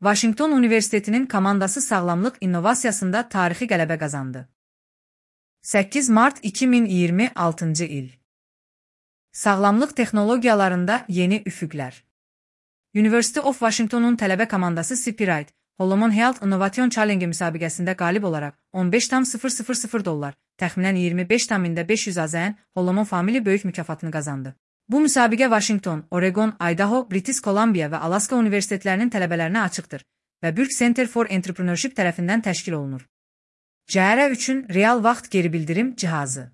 Vaşinqton Universitetinin komandası sağlamlıq innovasiyasında tarixi qələbə qazandı. 8 mart 2026 il. Sağlamlıq texnologiyalarında yeni üfüqlər. University of Washington'un tələbə komandası Copyright, Holomon Health Innovation Challenge müsabiqəsində qalib olaraq $15,000, təxminən 25,500 AZN Holomon Family böyük mükafatını qazandı. Bu müsabiqə Washington, Oregon, Idaho, British Columbia və Alaska universitetlərinin tələbələrinə açıqdır və Burke Center for Entrepreneurship tərəfindən təşkil olunur. CR üçün real vaxt geri bildirim cihazı.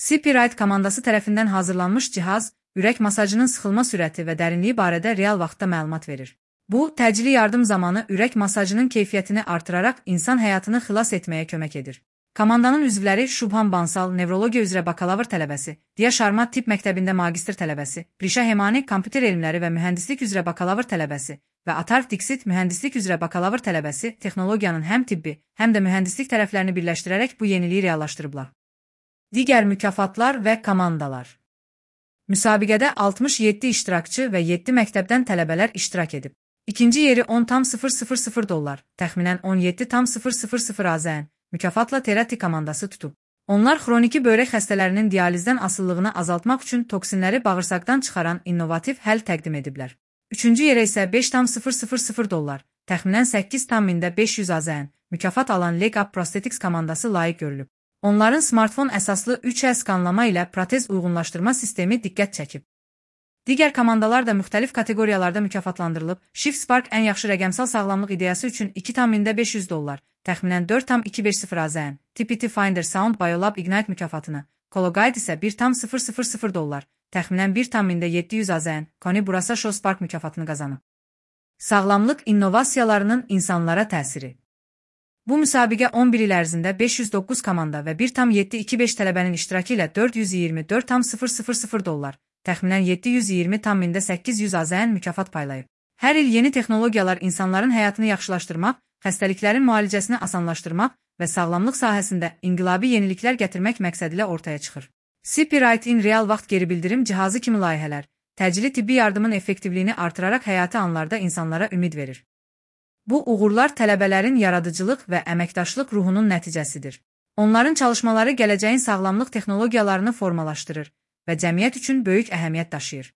Copyright komandası tərəfindən hazırlanmış cihaz, ürək masajının sıxılma sürəti və dərinliyi barədə real vaxtda məlumat verir. Bu, təcili yardım zamanı ürək masajının keyfiyyətini artıraraq insan həyatını xilas etməyə kömək edir. Komandanın üzvləri Shubham Bansal, nevrologiya üzrə bakalavr tələbəsi, Diya Sharma tibb məktəbində magistr tələbəsi, Prisha Hemani, kompüter elmləri və mühəndislik üzrə bakalavr tələbəsi və Atarv Dixit, mühəndislik üzrə bakalavr tələbəsi, texnologiyanın həm tibbi, həm də mühəndislik tərəflərini birləşdirərək bu yeniliyi reallaşdırıblar. Digər mükafatlar və komandalar. Müsabiqədə 67 iştirakçı və 7 məktəbdən tələbələr iştirak edib. İkinci yeri $10,000, təxminən 17,000 AZN mükafatla Terati komandası tutub. Onlar xroniki böyrək xəstələrinin dializdən asıllığını azaltmaq üçün toksinləri bağırsaqdan çıxaran innovativ həll təqdim ediblər. Üçüncü yerə isə $5,000, təxminən 8,500 AZN mükafat alan Leg Up Prosthetics komandası layiq görülüb. Onların smartfon əsaslı 3H skanlama ilə protez uyğunlaşdırma sistemi diqqət çəkib. Digər komandalar da müxtəlif kateqoriyalarda mükafatlandırılıb. Shift Spark ən yaxşı rəqəmsal sağlamlıq ideyası üçün $2,500, təxminən 4,250 AZN, TPT Finder Sound Biolab Ignite mükafatını, Cologuide isə $1,000, təxminən 1,700 AZN, Koni Burasa Show Spark mükafatını qazanıb. Sağlamlıq innovasiyalarının insanlara təsiri. Bu müsabiqə 11 il ərzində 509 komanda və 1,725 tələbənin iştirakı ilə $424,000, təxminən 720,800 AZN mükafat paylayıb. Hər il yeni texnologiyalar insanların həyatını yaxşılaşdırmaq, xəstəliklərin müalicəsini asanlaşdırmaq və sağlamlıq sahəsində inqilabi yeniliklər gətirmək məqsədilə ortaya çıxır. Copyright-in real vaxt geri bildirim cihazı kimi layihələr, təcili tibbi yardımın effektivliyini artıraraq həyati anlarda insanlara ümid verir. Bu uğurlar tələbələrin yaradıcılıq və əməkdaşlıq ruhunun nəticəsidir. Onların çalışmaları gələcəyin sağlamlıq texnologiyalarını formalaşdırır və cəmiyyət üçün böyük əhəmiyyət daşıyır.